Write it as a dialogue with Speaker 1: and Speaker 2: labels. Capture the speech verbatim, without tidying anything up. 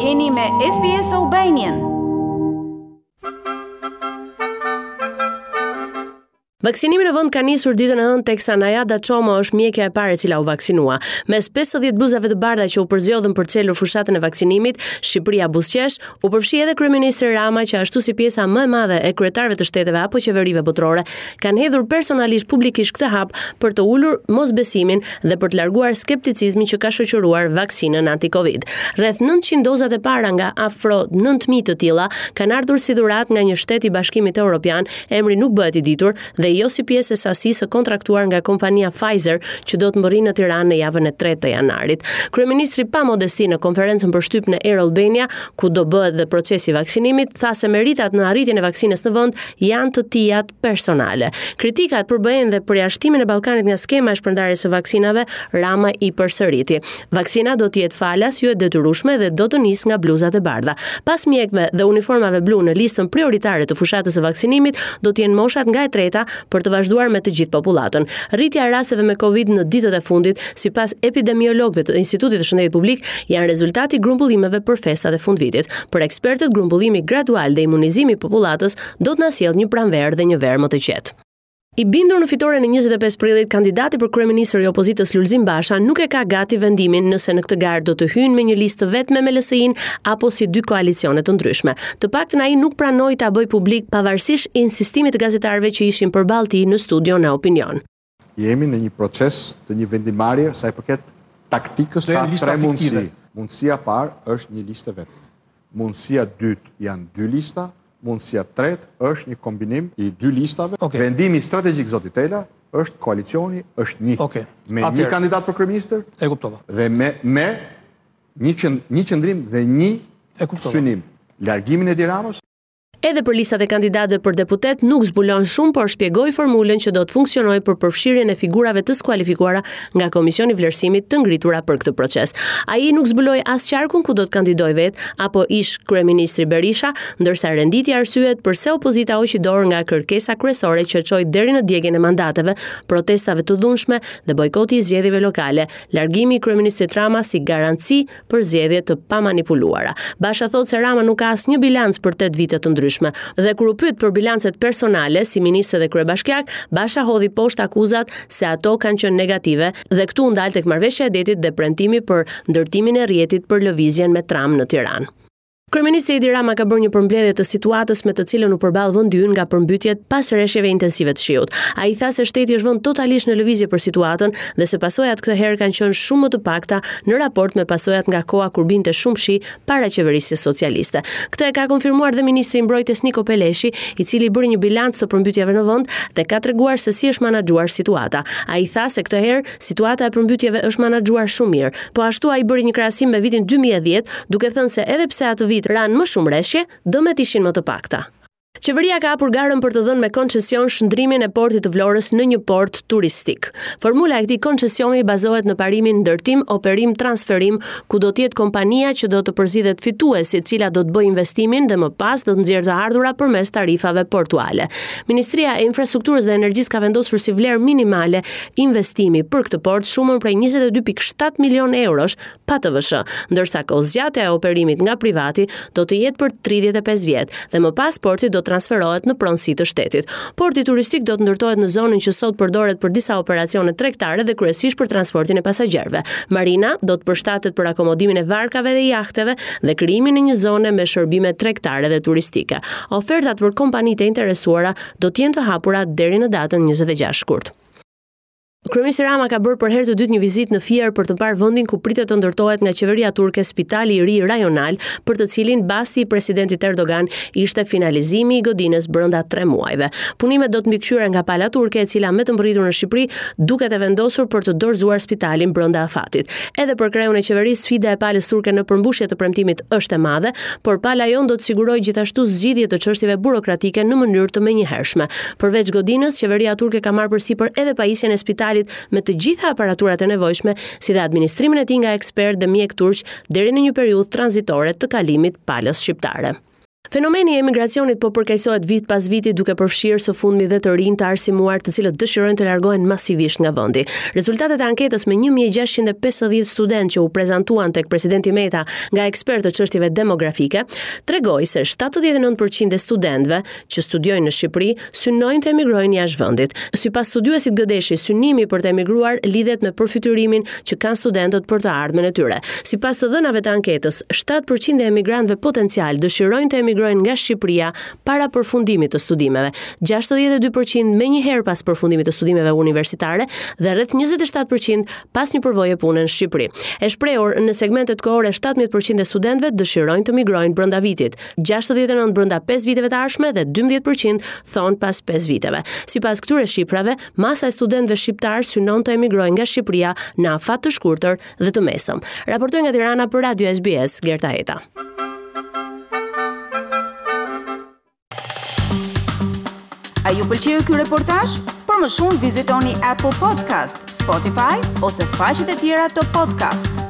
Speaker 1: Jeni me S B S Albanian.
Speaker 2: Vaksinimi në vend ka nisur ditën e hënë, teksa Najada Çomo është mjekja e parë e cila u vaksinua. Mes pesëdhjetë bluzave të bardha që u përzgjodhën për çelur fushatën e vaksinimit, Shqipëria buzëqesh, u përfshi edhe kryeministri Rama, që ashtu si pjesa më e madhe e kryetarëve të shteteve apo qeverive botërore, kanë hedhur personalisht publikisht këtë hap për të ulur mosbesimin dhe për të larguar skepticizmin që ka shoqëruar vaksinën anti-Covid. Rreth nëntëqind dozat e para nga afro nëntë mijë të tilla kanë ardhur si dhuratë nga një shtet i Bashkimit Evropian, emri nuk bëhet i ditur, dhe jo si pjesë e sasisë së kontraktuar nga kompania Pfizer, që do të mbërrijë në Tiranë në javën e tretë të janarit. Kryeministri pa modesti në konferencën për shtyp në Air Albania, ku do bëhet dhe procesi i vaksinimit, tha se meritat në arritjen e vaksinës në vend janë të tijat personale. Kritikat për B E-n dhe përjashtimin e Ballkanit nga skema e shpërndarjes së vaksinave, Rama i përsëriti. Vaksina do të jetë falas, jo e detyrueshme dhe do të nisë nga bluzat e bardha. Pas mjekëve dhe uniformave blu në listën prioritare të fushatës së vaksinimit do të jenë moshat nga e treta për të vazhduar me të gjithë popullatën. Rritja e rasteve me Covid në ditët e fundit, sipas epidemiologëve të Institutit të Shëndetit Publik, janë rezultati i grumbullimeve për festat e fundvitit. Për ekspertët, grumbullimi gradual dhe imunizimi i popullatës do të na sjellë një pranverë dhe një verë më të qetë. I bindur në fitoren e njëzet e pesë prillit, kandidati për kryeministër i opozitës Lulzim Basha nuk e ka gati vendimin nëse në këtë garë do të hyjnë me një listë të vetme me L S I-n apo si dy koalicione të ndryshme. Të paktën ai nuk pranoi ta bëjë publik, pavarësisht insistimit të gazetarëve që ishin përballë tij në studion e Opinion.
Speaker 3: Jemi në një proces të një vendimarrje sa i përket taktikës.
Speaker 4: Do
Speaker 3: ka
Speaker 4: jenë lista
Speaker 3: tre mundësi.
Speaker 4: Fiktive.
Speaker 3: Mundësia e parë është një listë e vetme. Mundësia e dytë janë dy lista, mundësia e tretë është një kombinim i dy listave.
Speaker 4: Okej.
Speaker 3: Vendimi strategjik, zoti Tela, është koalicioni është një.
Speaker 4: Okej.
Speaker 3: Me një
Speaker 4: Atëherë.
Speaker 3: kandidat për kryeministër
Speaker 4: E kuptova.
Speaker 3: dhe me me një qënd, një qëndrim dhe një
Speaker 4: E kuptova.
Speaker 3: synim. Largimin e Edi Ramës.
Speaker 2: Edhe për listat e kandidatëve për deputet nuk zbulon shumë, por shpjegoi formulën që do të funksionojë për përfshirjen e figurave të skualifikuara nga Komisioni i Vlerësimit të ngritura për këtë proces. Ai nuk zbuloi as qarkun ku do të kandidojë vet apo ish kryeministri Berisha, ndërsa renditi arsyet përse opozita hoqi dorë nga kërkesa kryesore që çoi deri në djegjen e mandateve, protestave të dhunshme dhe bojkoti i zgjedhjeve lokale, largimi i kryeministrit Rama si garanci për zgjedhje të pamanipuluara. Basha thotë se Rama nuk ka asnjë bilanc për tetë vite të ndryshme. Dhe kur u pyet për bilancet personale si ministër dhe kryebashkiak, Basha hodhi poshtë akuzat se ato kanë qenë negative dhe këtu u ndal tek marrëveshja e detit dhe premtimi për ndërtimin e rrjetit për lëvizjen me tram në Tiranë. Kryeministri Edi Rama ka bërë një përmbledhje të situatës me të cilën u përball vendi ynë nga përmbytjet pas reshjeve intensive të shiut. Ai tha se shteti është vënë totalisht në lëvizje për situatën dhe se pasojat këtë herë kanë qenë shumë më të pakta në raport me pasojat nga koha kur binte shumë shi para qeverisjes socialiste. Këtë e ka konfirmuar dhe ministri i Mbrojtjes Niko Peleshi, i cili bëri një bilanc të përmbytjeve në vend dhe ka treguar se si është menaxhuar situata. Ai tha se këtë herë situata e përmbytjeve është menaxhuar shumë mirë. Po ashtu ai bëri një krahasim me vitin dy mijë e dhjetë, duke thënë se edhe pse atë vit ranë më shumë reshje, dëmet ishin më të pakta. Qeveria ka hapur garën për të dhënë me koncesion shndrimin e portit të Vlorës në një port turistik. Formula e këtij koncesioni bazohet në parimin ndërtim, operim, transferim, ku do të jetë kompania që do të përzgjidhet fituesi, e cila do të bëjë investimin dhe më pas do të nxjerrë të ardhura përmes tarifave portuale. Ministria e Infrastrukturës dhe Energjisë ka vendosur si vlerë minimale investimi për këtë port shumën prej njëzet e dy pikë shtatë milion eurosh pa T V S, ndërsa kohëzgjatja e operimit nga privati do të jetë për tridhjetë e pesë vjet dhe më pas porti do të transferohet në pronësi të shtetit. Porti turistik do të ndërtohet në zonën që sot përdoret për disa operacione tregtare dhe kryesisht për transportin e pasagjerëve. Marina do të përshtatet për akomodimin e varkave dhe jahteve dhe krijimin e një zone me shërbime tregtare dhe turistike. Ofertat për kompanitë e interesuara do të jenë të hapura deri në datën njëzet e gjashtë shkurt. Kryeministri Rama ka bërë për herë të dytë një vizitë në Fier për të parë vendin ku pritet të ndërtohet nga qeveria turke spitali i ri rajonal, për të cilin basti i presidentit Erdogan ishte finalizimi i godinës brenda tre muajve. Punimet do të mbikëqyren nga pala turke, e cila me të mbërritur në Shqipëri duket e vendosur për të dorëzuar spitalin brenda afatit. Edhe për kreun e qeverisë, sfida e palës turke në përmbushje të premtimit është e madhe, por pala jonë do të sigurojë gjithashtu zgjidhje të çështjeve burokratike në mënyrë të menjëhershme. Përveç godinës, qeveria turke ka marrë përsipër edhe pajisjen e spitalit me të gjitha aparaturat e nevojshme, si dhe administrimin e tij nga ekspertë dhe mjek turq deri në një periudhë tranzitore të kalimit palës shqiptare. Fenomeni i emigracionit po përkeqësohet vit pas viti, duke përfshirë së fundmi dhe të rinj të arsimuar, të cilët dëshirojnë të largohen masivisht nga vendi. Rezultatet e anketës me një mijë e gjashtëqind e pesëdhjetë studentë që u prezantuan tek presidenti Meta nga ekspertë të çështjeve demografike, tregoi se shtatëdhjetë e nëntë përqind e studentëve që studiojnë në Shqipëri synojnë të emigrojnë jashtë vendit. Sipas studiuesit Gëdeshi, synimi për të emigruar lidhet me përfytyrimin që kanë studentët për të ardhmen e tyre. Sipas të dhënave të anketës, shtatë përqind e emigrantëve potencial dëshirojnë të emigrojnë nga Shqipëria para përfundimit të studimeve, gjashtëdhjetë e dy përqind menjëherë pas përfundimit të studimeve universitare dhe rreth njëzet e shtatë përqind pas një përvoje pune në Shqipëri. E shprehur në segmentet kohore, shtatëmbëdhjetë përqind e studentëve dëshirojnë të migrojnë brenda vitit, gjashtëdhjetë e nëntë brenda pesë viteve të ardhshme dhe dymbëdhjetë përqind thonë pas pesë viteve. Sipas këtyre shifrave, masa e studentëve shqiptar synon të emigrojnë nga Shqipëria në afat të shkurtër dhe të mesëm. Raportoi nga Tirana për Radio S B S, Gerta Eta.
Speaker 1: A ju pëlqeu ky reportazh? Për më shumë vizitoni Apple Podcast, Spotify ose faqet e tjera të podcast.